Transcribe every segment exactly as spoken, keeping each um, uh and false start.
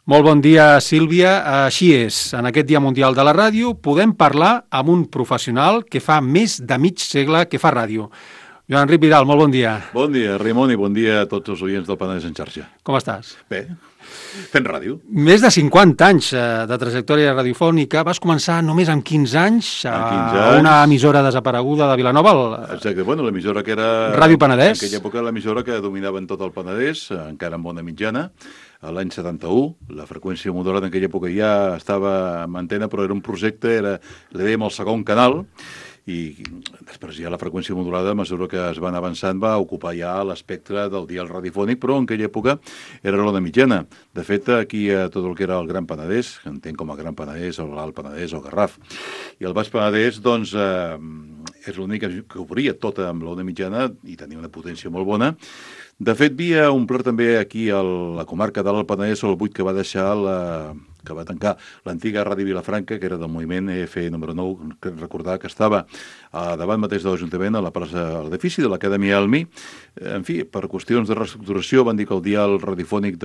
Molt bon dia, Sílvia. Així és, en aquest Dia Mundial de la Ràdio podem parlar amb un professional que fa més de mig segle que fa ràdio. Joan Enric Vidal, molt bon dia. Bon dia, Ramon, i bon dia a tots els oients del Penedès en xarxa. Com estàs? Bé, fent ràdio. Més de cinquanta anys de trajectòria radiofònica. Vas començar només amb quinze anys a quinze anys. Una emissora desapareguda de Vilanova. El... Exacte, bueno, l'emissora que era... Ràdio Penedès. En aquella època l'emissora que dominava en tot el Penedès, encara amb bona mitjana. A l'any setanta-u, la freqüència modulada en aquella època ja estava en antena, però era un projecte, era, li dèiem el segon canal, i després ja la freqüència modulada, a mesura que es van avançant, va ocupar ja l'espectre del dial radiofònic, però en aquella època era l'ona mitjana. De fet, aquí a tot el que era el Gran Penedès, que entenc com a Gran Penedès, o l'Alt Penedès, o Garraf, i el Baix Penedès, doncs, eh, és l'únic que cobria tota amb l'ona mitjana i tenia una potència molt bona. De fet, havia omplert també aquí a la comarca de l'Alt Penedès el buit que va deixar la... que va tancar l'antiga Ràdio Vilafranca, que era del moviment E F número nou, que recordar que estava a davant mateix de l'Ajuntament, a la plaça, a l'edifici de l'Acadèmia Elmi. En fi, per qüestions de reestructuració van dir que el dial radiofònic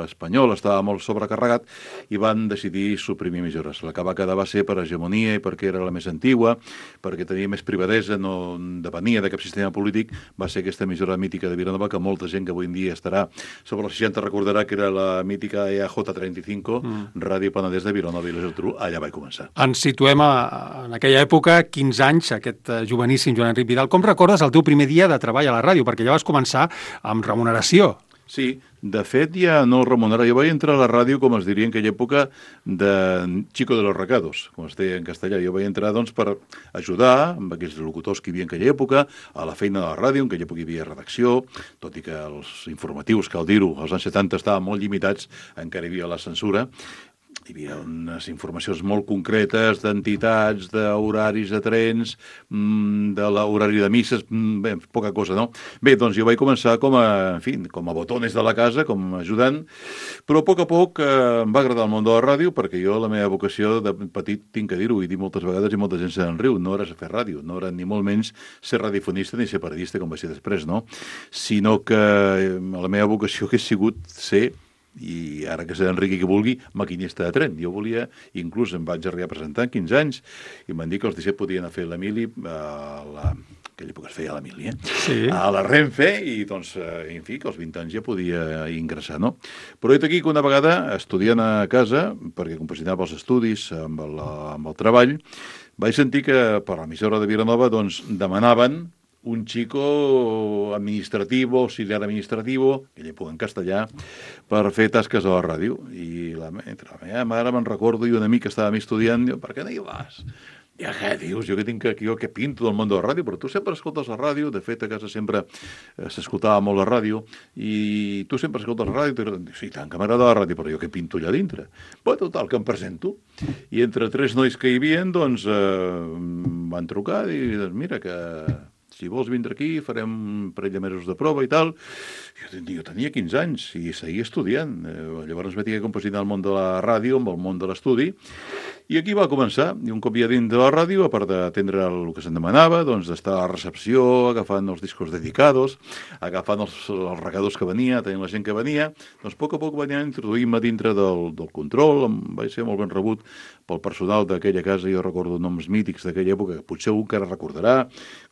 espanyol estava molt sobrecarregat i van decidir suprimir emissores. La que va quedar va ser per hegemonia i perquè era la més antigua, perquè tenia més privadesa, no depenia de cap sistema polític, va ser aquesta emissora mítica de Vilanova, que molta gent que avui en dia estarà sobre els seixanta recordarà que era la mítica E A J trenta i cinc, mm. Ràdio Penedès de Vilanova i la Geltrú, allà vaig començar. Ens situem a, en aquella època, quinze anys, aquest uh, joveníssim Joan Enric Vidal. Com recordes el teu primer dia de treball a la ràdio? Perquè ja vas començar amb remuneració. Sí, de fet ja no remunerava. Jo vaig entrar a la ràdio, com es diria en aquella època, de chico de los recados, com es deia en castellà. Jo vaig entrar doncs, per ajudar amb aquells locutors que hi havia en aquella època, a la feina de la ràdio, en aquella època hi havia redacció, tot i que els informatius, cal dir-ho, als anys setanta estaven molt limitats, encara hi havia la censura. Hi havia unes informacions molt concretes d'entitats, d'horaris de trens, de l'horari de misses, bé, poca cosa, no? Bé, doncs jo vaig començar com a, en fi, com a botones de la casa, com a ajudant, però a poc a poc eh, em va agradar el món de la ràdio, perquè jo la meva vocació de petit, tinc que dir-ho, i dir moltes vegades, i molta gent se'n riu, no era fer ràdio, no era ni molt menys ser radiofonista ni ser periodista, com va ser després, no? Sinó que la meva vocació hagués sigut ser, i ara que sé Enric que vulgui, maquinista de tren. Jo volia, inclús em vaig arribar a presentar amb quinze anys, i em van dir que els disset podien anar a fer la mili, a la... aquella època es feia la mili, eh? Sí. A la Renfe, i doncs, en fi, que als vint anys ja podia ingressar, no? Però he aquí que una vegada, estudiant a casa, perquè compaginava els estudis amb el, amb el treball, vaig sentir que per l'emissora de Vilanova doncs, demanaven un chico administrativo, auxiliar administrativo, que lle en castellà, per fer tasques a la ràdio. I la, entre la meva mare me'n recordo i un amic que estàvem estudiant, diu, per què no hi vas? Ja què dius, jo que tinc aquí, jo que pinto del món de la ràdio, però tu sempre escoltes la ràdio, de fet a casa sempre eh, s'escoltava molt la ràdio, i tu sempre escoltes la ràdio, i sí, tant que m'agrada la ràdio, però jo que pinto allà dintre. Bé, total, que em presento, i entre tres nois que hi havia, doncs, eh, van trucar i dir, mira, que si vols vindre aquí, farem un parell de mesos de prova i tal. Jo, jo tenia quinze anys i seguia estudiant. Eh, llavors vaig haver de compaginar el món de la ràdio amb el món de l'estudi. I aquí va començar. I un cop ja dins de la ràdio, a part d'atendre el que se'n demanava, doncs d'estar a la recepció, agafant els discos dedicados, agafant els, els regadors que venia, tenint la gent que venia, doncs a poc a poc vaig introduir-me dintre del, del control. Em vaig ser molt ben rebut pel personal d'aquella casa. Jo recordo noms mítics d'aquella època, que potser un que ara recordarà,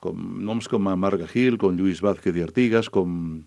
com noms com Marga Gil, com Lluís Vázquez i Artigas, com...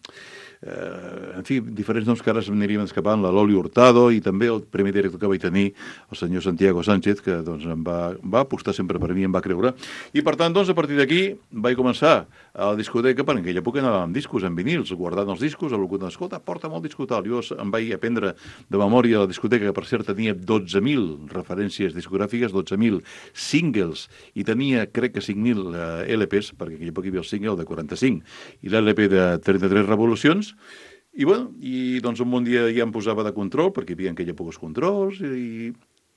Eh, en fi, diferents noms que ara s'aniríem escapant, la Loli Hurtado, i també el primer director que vaig tenir, el senyor Santiago Sánchez, que doncs, em va, va apostar sempre per mi, em va creure. I per tant, doncs, a partir d'aquí vaig començar a la discoteca, perquè en aquella època anàvem amb discos, amb vinils, guardant els discos, el locutor, escolta, porta'm el disco tal. Jo em vaig aprendre de memòria a la discoteca, que per cert tenia dotze mil referències discogràfiques, dotze mil singles, i tenia, crec que cinc mil eh, L Ps, perquè en aquella època hi havia el single de quaranta-cinc, i l'L P de trenta-tres revolucions. I, bueno, i doncs un bon dia ja em posava de control, perquè hi havia en aquella pocs controls, i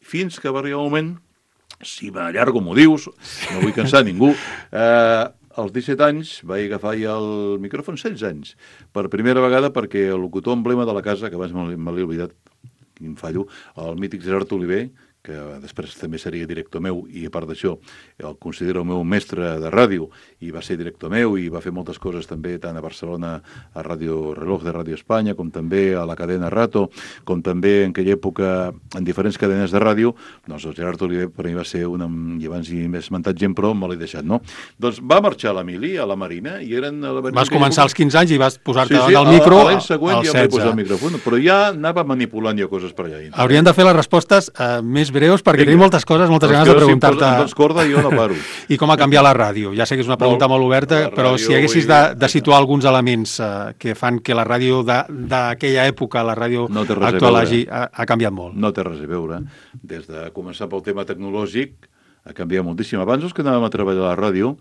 fins que va arribar un moment, si m'allargo m'ho dius, no vull cansar ningú, eh, als disset anys vaig agafar ja el micròfon, setze anys, per primera vegada, perquè el locutor emblema de la casa, que abans me l'he oblidat, quin fallo, el mític Gerard Oliver, que després també seria director meu, i a part d'això el considero el meu mestre de ràdio, i va ser director meu, i va fer moltes coses també, tant a Barcelona, a Ràdio Reloj de Ràdio Espanya, com també a la cadena Rato, com també en aquella època en diferents cadenes de ràdio. Doncs el Gerard Oliver per mi va ser una... i abans hi m'he esmentat gent, però me l'he deixat, no? Doncs va marxar l'Emili a la Marina, i eren... A la Marina, vas començar als quinze anys i vas posar-te sí, sí, al micro l'any següent al ja em vaig posar setze. el micròfon, però ja anava manipulant jo coses per allà. Hauríem de fer les respostes eh, més breus, perquè tenim moltes coses, moltes ganes de preguntar-te... Si em dones corda, jo no paro. I com ha canviat la ràdio? Ja sé que és una pregunta molt, molt oberta, però si haguessis de, de situar alguns elements eh, que fan que la ràdio d'aquella època, la ràdio no actual, hagi, ha, ha canviat molt. No té res a veure. Des de començar pel tema tecnològic, ha canviat moltíssim. Abans, els que anàvem a treballar a la ràdio,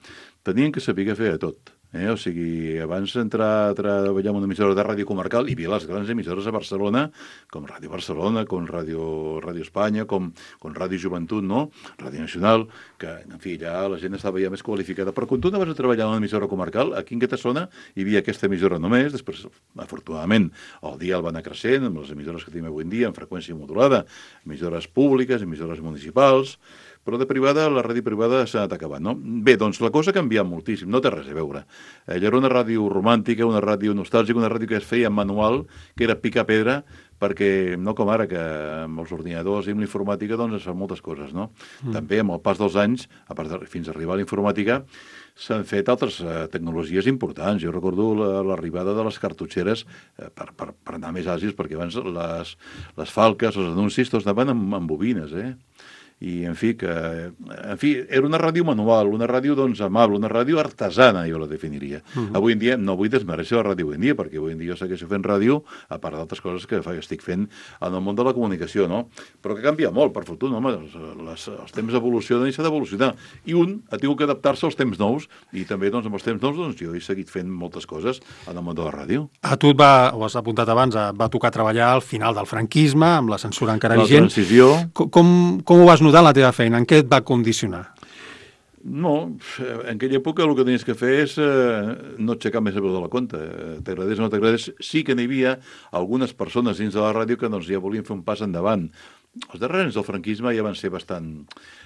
tenien que saber què fer a tot. Eh? O sigui, abans d'entrar a treballar en una emissora de ràdio comarcal, hi havia les grans emissores a Barcelona, com Ràdio Barcelona, com Ràdio, Ràdio Espanya, com, com Ràdio Joventut, no? Ràdio Nacional, que, en fi, ja la gent estava ja més qualificada. Però quan tu anaves a treballar en una emissora comarcal, aquí en Catassona hi havia aquesta emissora només, després, afortunadament, el dia el va anar creixent, amb les emissores que tenim avui en dia, en freqüència modulada, emissores públiques, emissores municipals, però de privada, la ràdio privada s'ha anat acabant, no? Bé, doncs la cosa ha canviat moltíssim, no té res a veure. Ella era una ràdio romàntica, una ràdio nostàlgica, una ràdio que es feia en manual, que era picar pedra, perquè no com ara, que amb els ordinadors i amb l'informàtica doncs es fan moltes coses, no? Mm. També amb el pas dels anys, a part de, fins a arribar a la informàtica, s'han fet altres eh, tecnologies importants. Jo recordo l'arribada de les cartutxeres eh, per, per, per anar més àgils, perquè abans les, les falques, els anuncis, tots anaven amb, amb bobines, eh? I, en fi, que, en fi, era una ràdio manual, una ràdio, doncs, amable, una ràdio artesana, jo la definiria. Uh -huh. Avui en dia, no vull desmereixer la ràdio avui en dia, perquè avui en dia jo segueixo fent ràdio, a part d'altres coses que estic fent en el món de la comunicació, no? Però que canvia molt, per fortuna, home, els, les, els temps evolucionen i s'ha d'evolucionar. I un ha tingut que adaptar-se als temps nous, i també, doncs, amb els temps nous, doncs, jo he seguit fent moltes coses en el món de la ràdio. A tu et va, ho has apuntat abans, va tocar treballar al final del franquisme, amb la censura encara la vigent. La transició. Com, com ho vas notar en la teva feina? En què et va condicionar? No, en aquella època el que tenies que fer és eh, no aixecar més el peu de la compta. T'agradés o no t'agradés. Sí que n'hi havia algunes persones dins de la ràdio que doncs, ja volien fer un pas endavant. Els darrers anys del franquisme ja van ser bastant...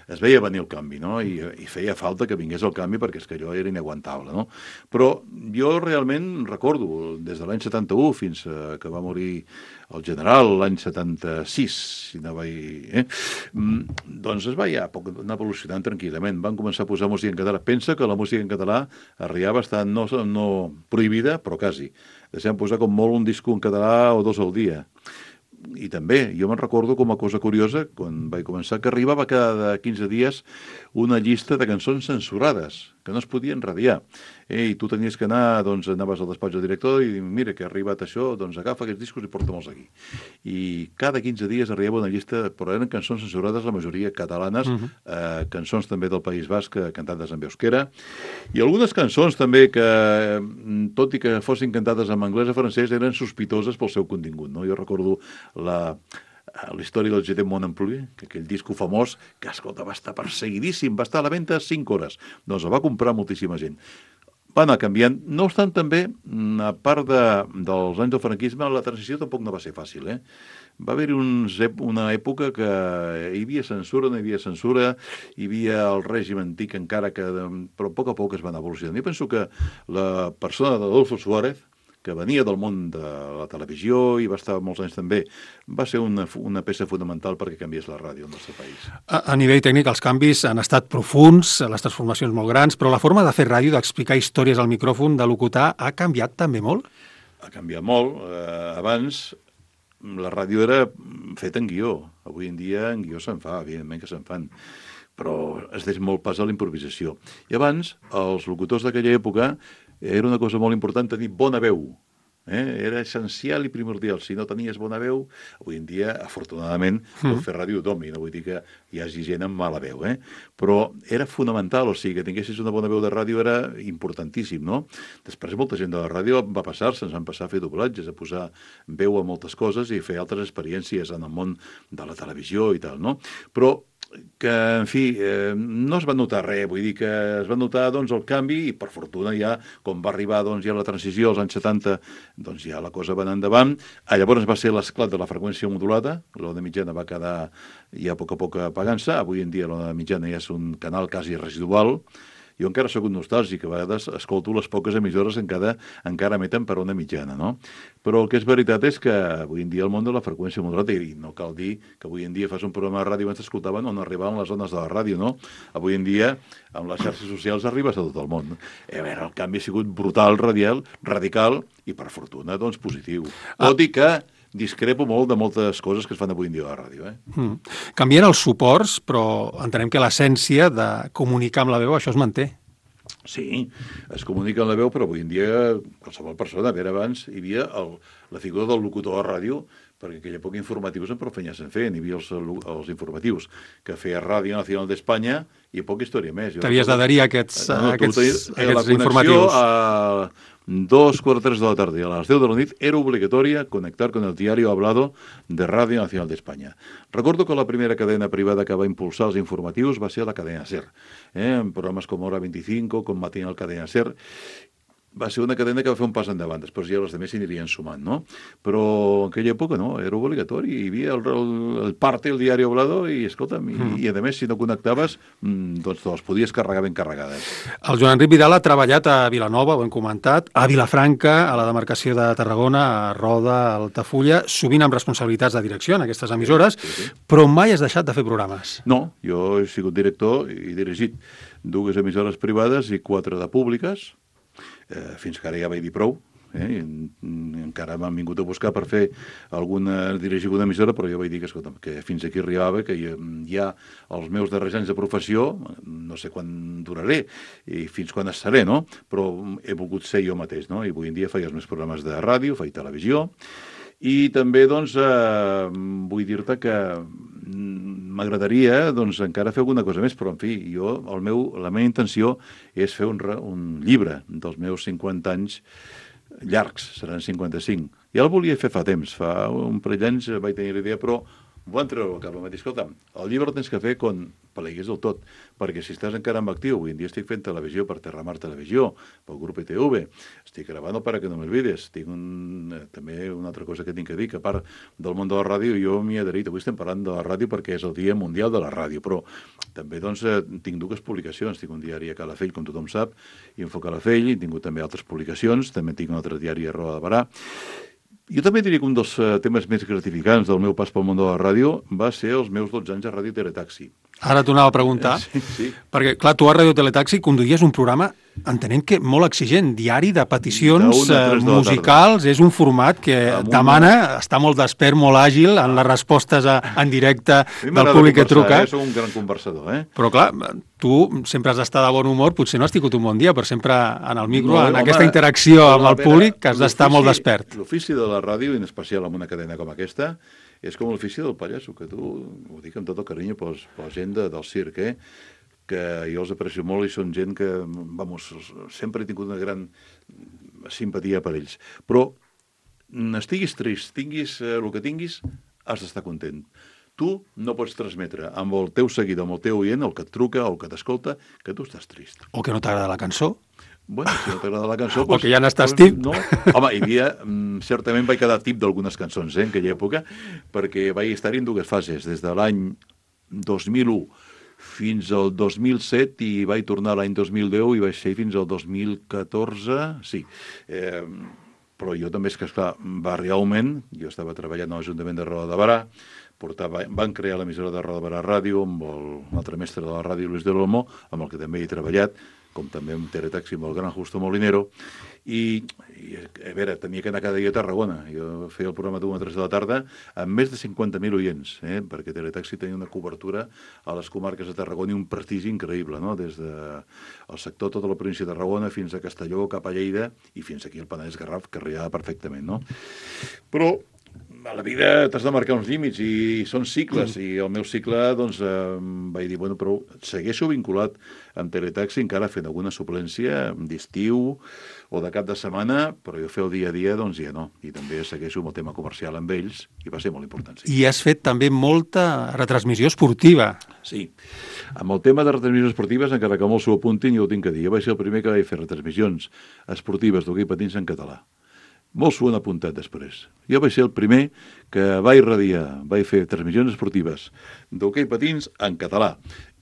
Es veia venir el canvi, no? I, i feia falta que vingués el canvi perquè és que allò era inaguantable, no? Però jo realment recordo, des de l'any setanta-u fins a que va morir el general l'any setanta-sis, si no vaig... Eh? Doncs es va ja anar evolucionant tranquil·lament. Van començar a posar música en català. Pensa que la música en català arribava a estar no, no prohibida, però quasi. Deixem posar com molt un disco en català o dos al dia. I també, jo me'n recordo com a cosa curiosa, quan vaig començar, que arribava cada quinze dies una llista de cançons censurades, que no es podien radiar. Eh, I tu tenies que anar, doncs anaves al despatx del director i mira que ha arribat això, doncs agafa aquests discos i porta-me'ls aquí. I cada quinze dies arribava una llista, però eren cançons censurades, la majoria catalanes, uh-huh. eh, cançons també del País Basc, cantades en euskera, i algunes cançons també que, tot i que fossin cantades en anglès o francès, eren sospitoses pel seu contingut, no? Jo recordo la... la història del J'étais mon ampli, que aquell disco famós, que, escolta, va estar perseguidíssim, va estar a la venda cinc hores. Doncs el va comprar moltíssima gent. Va anar canviant. No obstant, també, a part de, dels anys del franquisme, la transició tampoc no va ser fàcil, eh? Va haver-hi uns, una època que hi havia censura, no hi havia censura, hi havia el règim antic encara que... Però a poc a poc es van evolucionant. Jo penso que la persona d'Adolfo Suárez, que venia del món de la televisió i va estar molts anys també, va ser una, una peça fonamental perquè canviés la ràdio al nostre país. A, a nivell tècnic, els canvis han estat profuns, les transformacions molt grans, però la forma de fer ràdio, d'explicar històries al micròfon, de locutar, ha canviat també molt? Ha canviat molt. Eh, abans la ràdio era feta en guió. Avui en dia en guió se'n fa, evidentment que se'n fan, però es deix molt pas a la improvisació. I abans, els locutors d'aquella època, era una cosa molt important tenir bona veu. Eh? Era essencial i primordial. Si no tenies bona veu, avui en dia, afortunadament, mm. pot fer ràdio tothom, i no vull dir que hi hagi gent amb mala veu, eh? Però era fonamental, o sigui, que tinguessis una bona veu de ràdio era importantíssim, no? Després molta gent de la ràdio va passar-se, ens van passar a fer doblatges, a posar veu a moltes coses i fer altres experiències en el món de la televisió i tal, no? Però que, en fi, eh, no es va notar res, vull dir que es va notar doncs, el canvi i, per fortuna, ja, com va arribar doncs, ja la transició als anys setanta, doncs ja la cosa va anar endavant. Ah, llavors va ser l'esclat de la freqüència modulada, l'ona mitjana va quedar ja a poc a poc apagant-se, avui en dia l'ona mitjana ja és un canal quasi residual. Jo encara sóc un nostàlgic, a vegades escolto les poques emissores que encara, encara emeten per ona mitjana, no? Però el que és veritat és que avui en dia el món de la freqüència modulada, i no cal dir que avui en dia fas un programa de ràdio abans t'escoltaven on arribaven les zones de la ràdio, no? Avui en dia, amb les xarxes socials, arribes a tot el món. A veure, el canvi ha sigut brutal, radial, radical, i per fortuna, doncs, positiu. Ah. Tot i que discrepo molt de moltes coses que es fan avui en dia a la ràdio. Eh? Mm. Canvien els suports, però entenem que l'essència de comunicar amb la veu, això es manté. Sí, es comunica amb la veu, però avui en dia qualsevol persona, a veure, abans hi havia el, la figura del locutor a ràdio, perquè en aquella època informatius en prou feina se'n feien, hi havia els, els informatius que feia Ràdio Nacional d'Espanya i poca història més. T'havies d'adherir a aquests, no, no, aquests, tenies, aquests informatius. A dos, quatre, tres de la tarde, a las deu de la nit, era obligatoria conectar con el diario hablado de Radio Nacional de España. Recordo que la primera cadena privada que va impulsar els informatius va ser la cadena SER, eh? en programes com Hora veinticinco, com Matinal Cadena SER. Va ser una cadena que va fer un pas endavant, després ja els altres s'hi anirien sumant, no? Però en aquella època no, era obligatori, hi havia el, el, el parte, el diari hablado, i escolta'm, mm. i, i a més, si no connectaves, doncs te les podies carregar ben carregades. El Joan Enric Vidal ha treballat a Vilanova, ho hem comentat, a Vilafranca, a la demarcació de Tarragona, a Roda, a Altafulla, sovint amb responsabilitats de direcció en aquestes emissores, sí, sí, sí. Però mai has deixat de fer programes. No, jo he sigut director i dirigit dues emissores privades i quatre de públiques, Eh, fins que ara ja vaig dir prou, eh? I, encara m'han vingut a buscar per fer alguna, dirigir alguna emissora, però jo vaig dir que, escolta, que fins aquí arribava, que ja, ja els meus darrers anys de professió, no sé quan duraré i fins quan estaré, no? Però he volgut ser jo mateix, no? I avui en dia faig els meus programes de ràdio, faig televisió, i també, doncs, eh, vull dir-te que m'agradaria, doncs, encara fer alguna cosa més, però, en fi, jo, el meu, la meva intenció és fer un, un llibre dels meus cinquanta anys llargs, seran cinquanta-cinc. Ja el volia fer fa temps, fa un parell d'anys vaig tenir l'idea, però ho van treure al cap, em va dir, escolta, el llibre el tens que fer quan pleguis del tot, perquè si estàs encara en actiu, avui en dia estic fent televisió per Terramar Televisió, pel grup E T V, estic gravant para que no m'olvides, tinc un, eh, també una altra cosa que tinc que dir, que a part del món de la ràdio, jo m'hi he adherit, avui estem parlant de la ràdio perquè és el Dia Mundial de la Ràdio, però també doncs, eh, tinc dues publicacions, tinc un diari a Calafell, com tothom sap, Info Calafell, he tingut també altres publicacions, també tinc un altre diari a Roda de Barà. Jo també diria que un dels uh, temes més gratificants del meu pas pel món de la ràdio va ser els meus dotze anys a Ràdio Teletaxi. Ara t'ho anava a preguntar, sí, sí. Perquè, clar, tu a Ràdio Teletaxi conduïes un programa, entenent que molt exigent, diari de peticions uh, musicals, és un format que Amb demana, una... està molt despert, molt àgil en les respostes a, en directe del públic que truca. Eh? Soc un gran conversador, eh? Però, clar, tu sempre has d'estar de bon humor, potser no has tingut un bon dia, però sempre en el micro, no, en home, aquesta interacció amb el públic, que has d'estar molt despert. L'ofici de la ràdio, en especial amb una cadena com aquesta, és com l'ofici del pallasso, que tu, ho dic amb tot el carinyo per la gent de, del circ, eh? Que jo els aprecio molt i són gent que, vamos, sempre he tingut una gran simpatia per ells. Però estiguis trist, tinguis eh, el que tinguis, has d'estar content. Tu no pots transmetre amb el teu seguidor, amb el teu oient, el que et truca, el que t'escolta, que tu estàs trist. O que no t'agrada la cançó. Bueno, si no t'agrada la cançó... O pues, que ja n'estàs pues, tip. No. Home, hi havia... Certament vaig quedar tip d'algunes cançons, eh, en aquella època, perquè vaig estar en dues fases, des de l'any dos mil u fins al dos mil set i vaig tornar l'any dos mil deu i vaig ser fins al dos mil catorze, sí. Eh, però jo també és que, esclar, va realment, jo estava treballant a l'Ajuntament de Roda de Barà, portava, van crear l'emissora de Roda de Barà Ràdio amb el, l'altre mestre de la ràdio, Luis de l'Olmo, amb el que també he treballat, com també amb Teletaxi, amb el gran Justo Molinero, i, i a veure, tenia que anar cada dia a Tarragona. Jo feia el programa d'una a tres de la tarda amb més de cinquanta mil oients, eh? Perquè Teletaxi tenia una cobertura a les comarques de Tarragona i un prestigi increïble, no? Des del sector, tota la província de Tarragona, fins a Castelló, cap a Lleida, i fins aquí al Penedès Garraf, que arribava perfectament, no? Però a la vida t'has de marcar uns límits i són cicles, mm. i el meu cicle, doncs, eh, vaig dir, bueno, però segueixo vinculat amb Teletaxi, encara fent alguna suplència d'estiu o de cap de setmana, però jo fer el dia a dia, doncs ja no. I també segueixo amb el tema comercial amb ells, i va ser molt important. Sí. I has fet també molta retransmissió esportiva. Sí. Amb el tema de retransmissions esportives, encara que molts s'ho apuntin, jo ho tinc que dir. Jo vaig ser el primer que vaig fer retransmissions esportives d'hoquei patins en català. Molts s'ho han apuntat després. Jo vaig ser el primer que va irradiar, vaig fer transmissions esportives d'hoquei patins en català.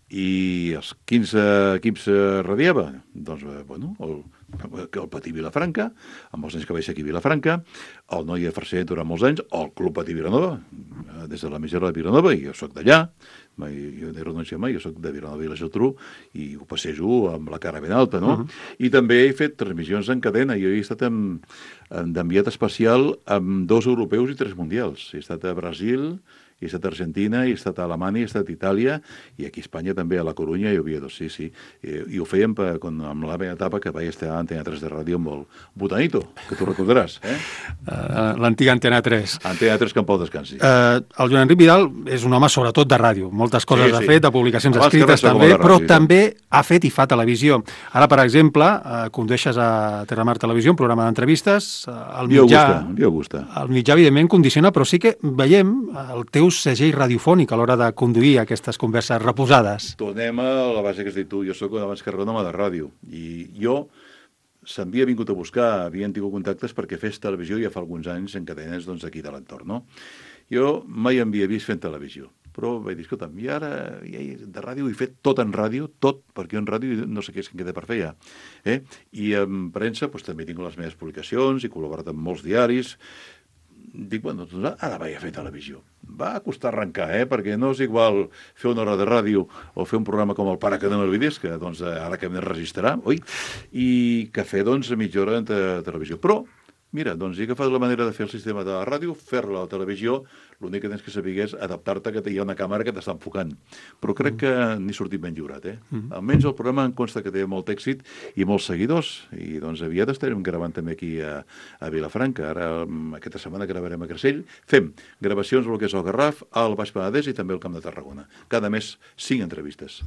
I els quinze equips radiava? Doncs, bueno, el, el Patí Vilafranca, amb els anys que vaig ser aquí a Vilafranca, el Noia Farcer durant molts anys, el Club Patí Vilanova, des de la Misera de Vilanova, i jo soc d'allà, mai, jo no he renunciat mai, jo soc de Vilanova i la Geltrú, i ho passejo amb la cara ben alta, no? Uh-huh. I també he fet transmissions en cadena, jo he estat d'enviat especial amb dos europeus i tres mundials. He estat a Brasil, he estat a Argentina, he estat a Alemanya, he estat a Itàlia, i aquí a Espanya també, a la Corunya i a Oviedo, sí, sí. I, i ho fèiem per, con, amb la meva etapa que vaig estar a Antena tres de ràdio amb el Botanito, que tu recordaràs, eh? Uh, L'antiga Antena tres. Antena tres, que en pau descansi. Uh, el Joan Enric Vidal és un home sobretot de ràdio. Moltes coses sí, sí. ha fet, de publicacions Abans escrites també, ràdio, però sí. també ha fet i fa televisió. Ara, per exemple, uh, condueixes a Terramar Televisió, un programa d'entrevistes. Uh, el mitjà, Dio gusta, el mitjà, evidentment, condiciona, però sí que veiem el teu segell radiofònic a l'hora de conduir aquestes converses reposades. Tornem a la base que has dit tu. Jo soc abans que res un home de ràdio. I jo s'havia vingut a buscar, havien tingut contactes perquè fes televisió ja fa alguns anys en cadenes doncs, aquí de l'entorn, no? Jo mai havia vist fent televisió, però vaig dir, escolta'm, i ara ja, de ràdio he fet tot en ràdio, tot, perquè en ràdio no sé què és que em queda per fer ja. Eh? I en premsa doncs, també tinc les meves publicacions, he col·laborat amb molts diaris. Dic, bueno, doncs ara vaig a fer televisió. Va costar arrencar, eh? Perquè no és igual fer una hora de ràdio o fer un programa com el Pare que no m'olvidis, que doncs, ara que em registrarà, oi? I que fer, doncs, mitja hora de televisió. Però, mira, doncs he agafat la manera de fer el sistema de la ràdio, fer-la a la televisió, l'únic que tens que saber és adaptar-te que hi ha una càmera que t'està enfocant. Però crec que n'he sortit ben lliurat, eh? Mm. Almenys el programa em consta que té molt èxit i molts seguidors, i doncs aviat estarem gravant també aquí a, a Vilafranca. Ara, aquesta setmana gravarem a Creixell. Fem gravacions del que és el Garraf, al Baix Penedès i també al Camp de Tarragona. Cada mes, cinc entrevistes.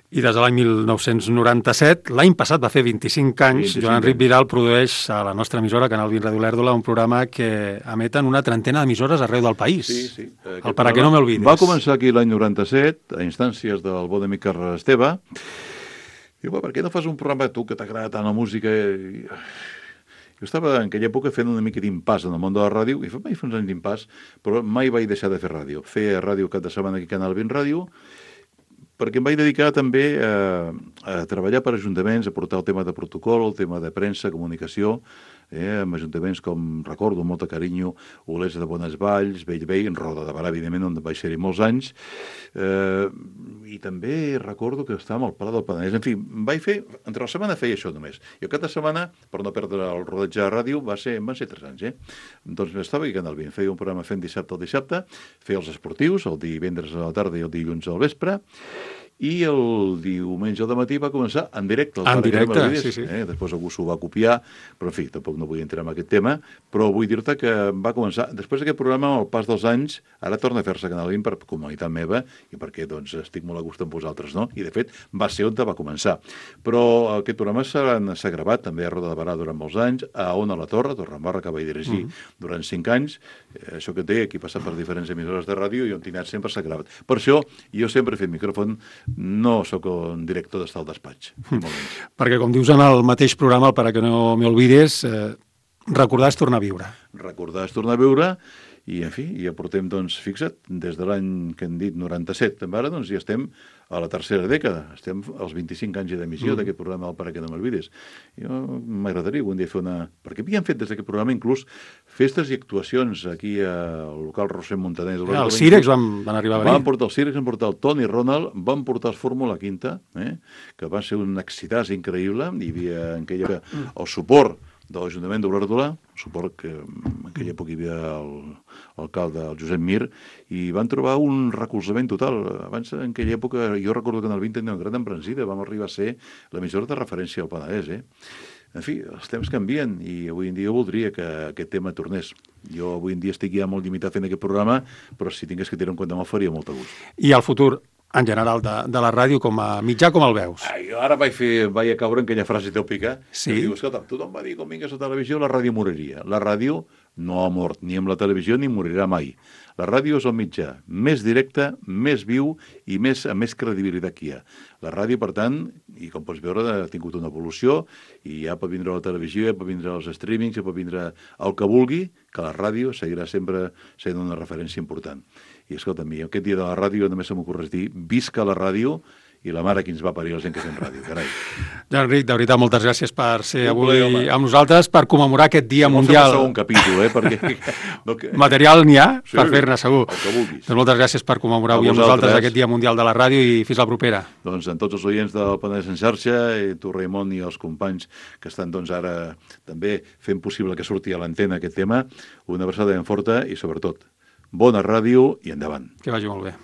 I des de l'any mil nou-cents noranta-set, l'any passat va fer vint-i-cinc anys, vint-i-cinc Joan Enric Vidal produeix a la nostra emissora, Canal vint Ràdio Lèrdula, un programa que emeten una trentena d'emissores arreu del país. Sí, sí. El Para que no m'olvidis. Va començar aquí l'any noranta-set, a instàncies del bon amic Carles Esteve. Diu, per què no fas un programa tu que t'agrada tant la música? Jo estava en aquella època fent una mica d'impàs en el món de la ràdio, i vaig fer uns anys d'impàs, però mai vaig deixar de fer ràdio. Feia ràdio cap de setmana aquí a Canal vint Ràdio, perquè em vaig dedicar també a, a treballar per ajuntaments, a portar el tema de protocol, el tema de premsa, comunicació, eh, amb ajuntaments com, recordo, amb molt de carinyo, Olesa de Bonesvalls, Bellvei, en Roda de Barà, evidentment, on vaig ser-hi molts anys, eh, i també recordo que estàvem al Pla del Penedès. En fi, vaig fer, entre la setmana feia això només. I cada setmana, per no perdre el rodatge de ràdio, va ser, van ser tres anys, eh? Doncs estava aquí a Canal vint, feia un programa fent dissabte al dissabte, feia els esportius, el divendres a la tarda i el dilluns al vespre, i el diumenge al matí va començar en directe. En directe, sí, sí. Eh? Després algú s'ho va copiar, però en fi, tampoc no vull entrar en aquest tema, però vull dir-te que va començar, després d'aquest programa, amb el pas dels anys, ara torna a fer-se a Canal vint per comunitat meva, i perquè doncs, estic molt a gust amb vosaltres, no? I de fet, va ser on va començar. Però aquest programa s'ha gravat també a Roda de Barà durant molts anys, a Ona la Torre, Torredembarra, que vaig dirigir mm. durant cinc anys, eh, això que té, aquí passat per diferents emissores de ràdio, i on tinc anat sempre s'ha gravat. Per això, jo sempre he fet micròfon. No sóc un director d'estar al despatx. Perquè, com dius en el mateix programa, el Para que no m'olvides, eh, recordar és tornar a viure. Recordar és tornar a viure, i, en fi, ja portem, doncs, fixa't, des de l'any que hem dit noranta-set, ara, doncs, ja estem a la tercera dècada. Estem als vint-i-cinc anys d'emissió mm. d'aquest programa del Para que no m'olvides. Jo m'agradaria un dia fer una... Perquè havíem fet des d'aquest programa inclús festes i actuacions aquí al local Roser Montaner. Ja, els Cirex van, van arribar a venir. Van portar els Cirex, van portar el Toni Ronald, van portar els Fórmula Quinta, eh? Que va ser un excitàs increïble. Hi havia en aquella el suport de l'Ajuntament d'Olèrdola, suport que en aquella època hi havia l'alcalde, el Josep Mir, i van trobar un recolzament total. Abans, en aquella època, jo recordo que en el vint tenia una gran embranzida, vam arribar a ser l'emissora de referència al Penedès, eh? En fi, els temps canvien i avui en dia voldria que aquest tema tornés. Jo avui en dia estic ja molt limitat fent aquest programa, però si tingués que tirar en compte me'l faria molt a gust. I el futur, en general, de, de la ràdio com a mitjà, com el veus? Ai, jo ara vaig, fer, vaig a caure en aquella frase tòpica. Sí. Que diu, escolta, tothom va dir, quan vingues a televisió, la ràdio moriria. La ràdio no ha mort ni amb la televisió ni morirà mai. La ràdio és el mitjà més directe, més viu i més, amb més credibilitat que hi ha. La ràdio, per tant, i com pots veure, ha tingut una evolució i ja pot vindre la televisió, ja pot vindre els streamings, ja pot vindre el que vulgui, que la ràdio seguirà sempre sent una referència important. I escolta, a mi, aquest dia de la ràdio només se m'ocorreix dir visca la ràdio i la mare qui ens va parir la gent que fem ràdio, carai. Joan Enric, de veritat, moltes gràcies per ser avui amb nosaltres, per commemorar aquest Dia Mundial. No sé un capítol, eh? Perquè... Material n'hi ha per sí, fer-ne, segur. El que vulguis. Doncs moltes gràcies per commemorar avui amb nosaltres aquest Dia Mundial de la Ràdio i fins la propera. Doncs en tots els oients del Penedès en xarxa, i tu, Raimon, i els companys que estan doncs ara també fent possible que surti a l'antena aquest tema, una abraçada ben forta i, sobretot, bona ràdio i endavant. Que vagi molt bé.